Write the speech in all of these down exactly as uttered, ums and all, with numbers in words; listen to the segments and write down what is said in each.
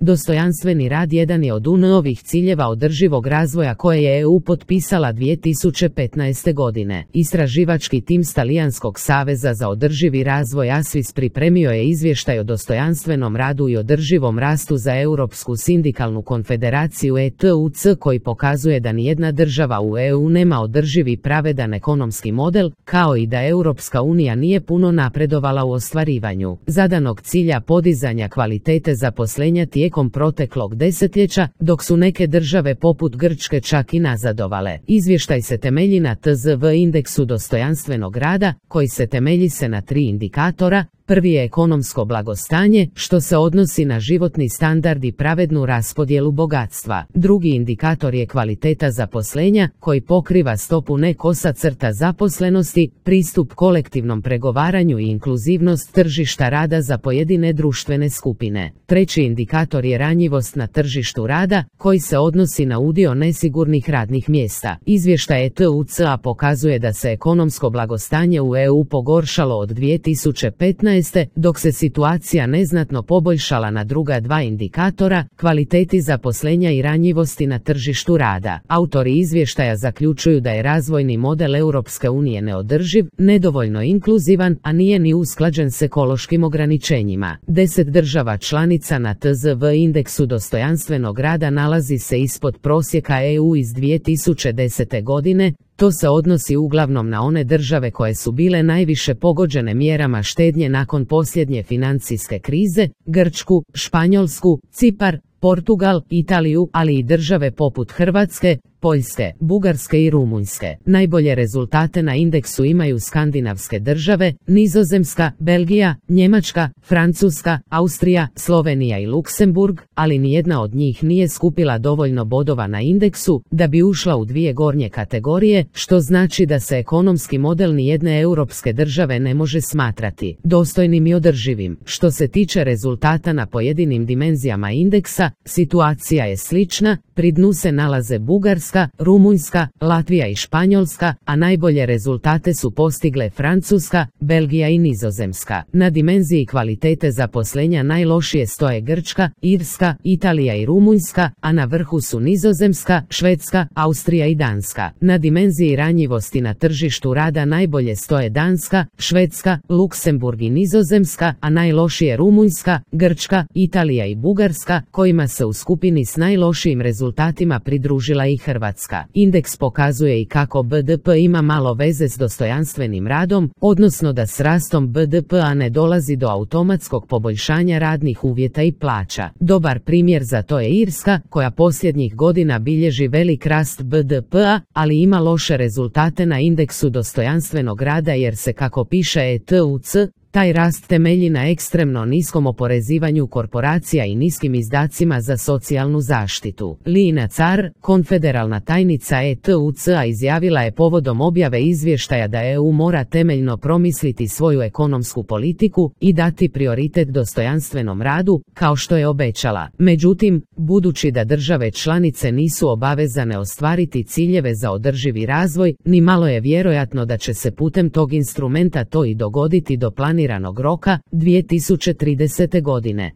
Dostojanstveni rad jedan je od U N ovih ciljeva održivog razvoja koje je E U potpisala dvije tisuće petnaeste godine. Istraživački tim s Talijanskog saveza za održivi razvoj A S V I S pripremio je izvještaj o dostojanstvenom radu i održivom rastu za Europsku sindikalnu konfederaciju E T U C koji pokazuje da nijedna država u E U nema održivi i pravedan ekonomski model, kao i da Europska unija nije puno napredovala u ostvarivanju zadanog cilja podizanja kvalitete zaposlenja tijekom proteklog desetljeća, dok su neke države poput Grčke čak i nazadovale. Izvještaj se temelji na T Z V indeksu dostojanstvenog rada, koji se temelji se na tri indikatora. Prvi je ekonomsko blagostanje, što se odnosi na životni standard i pravednu raspodjelu bogatstva. Drugi indikator je kvaliteta zaposlenja, koji pokriva stopu ne kosa crta zaposlenosti, pristup kolektivnom pregovaranju i inkluzivnost tržišta rada za pojedine društvene skupine. Treći indikator je ranjivost na tržištu rada, koji se odnosi na udio nesigurnih radnih mjesta. Izvještaj E T U C-a pokazuje da se ekonomsko blagostanje u E U pogoršalo od dvije tisuće petnaeste dok se situacija neznatno poboljšala na druga dva indikatora, kvaliteti zaposlenja i ranjivosti na tržištu rada. Autori izvještaja zaključuju da je razvojni model Europske unije neodrživ, nedovoljno inkluzivan, a nije ni usklađen s ekološkim ograničenjima. Deset država članica na T Z V indeksu dostojanstvenog rada nalazi se ispod prosjeka E U iz dvije tisuće desete godine. To se odnosi uglavnom na one države koje su bile najviše pogođene mjerama štednje nakon posljednje financijske krize, Grčku, Španjolsku, Cipar, Portugal, Italiju, ali i države poput Hrvatske, Poljske, Bugarske i Rumunjske. Najbolje rezultate na indeksu imaju skandinavske države, Nizozemska, Belgija, Njemačka, Francuska, Austrija, Slovenija i Luksemburg, ali nijedna od njih nije skupila dovoljno bodova na indeksu da bi ušla u dvije gornje kategorije, što znači da se ekonomski model nijedne europske države ne može smatrati dostojnim i održivim. Što se tiče rezultata na pojedinim dimenzijama indeksa, situacija je slična, pri dnu se nalaze Bugarska, Rumunjska, Latvija i Španjolska, a najbolje rezultate su postigle Francuska, Belgija i Nizozemska. Na dimenziji kvalitete zaposlenja najlošije stoje Grčka, Irska, Italija i Rumunjska, a na vrhu su Nizozemska, Švedska, Austrija i Danska. Na dimenziji ranjivosti na tržištu rada najbolje stoje Danska, Švedska, Luksemburg i Nizozemska, a najlošije Rumunjska, Grčka, Italija i Bugarska, kojima se u skupini s najlošijim rezultatima pridružila i Hrvatska. Indeks pokazuje i kako B D P ima malo veze s dostojanstvenim radom, odnosno da s rastom B D P-a ne dolazi do automatskog poboljšanja radnih uvjeta i plaća. Dobar primjer za to je Irska, koja posljednjih godina bilježi velik rast B D P-a, ali ima loše rezultate na indeksu dostojanstvenog rada jer se, kako piše E T U C, taj rast temelji na ekstremno niskom oporezivanju korporacija i niskim izdacima za socijalnu zaštitu. Lina Car, konfederalna tajnica E T U C-a, izjavila je povodom objave izvještaja da E U mora temeljno promisliti svoju ekonomsku politiku i dati prioritet dostojanstvenom radu, kao što je obećala. Međutim, budući da države članice nisu obavezane ostvariti ciljeve za održivi razvoj, ni malo je vjerojatno da će se putem tog instrumenta to i dogoditi do planiranog roka dvije tisuće tridesete godine.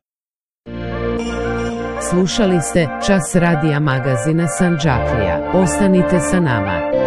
Slušali ste Čas radija magazina Sandžaklija. Ostanite sa nama.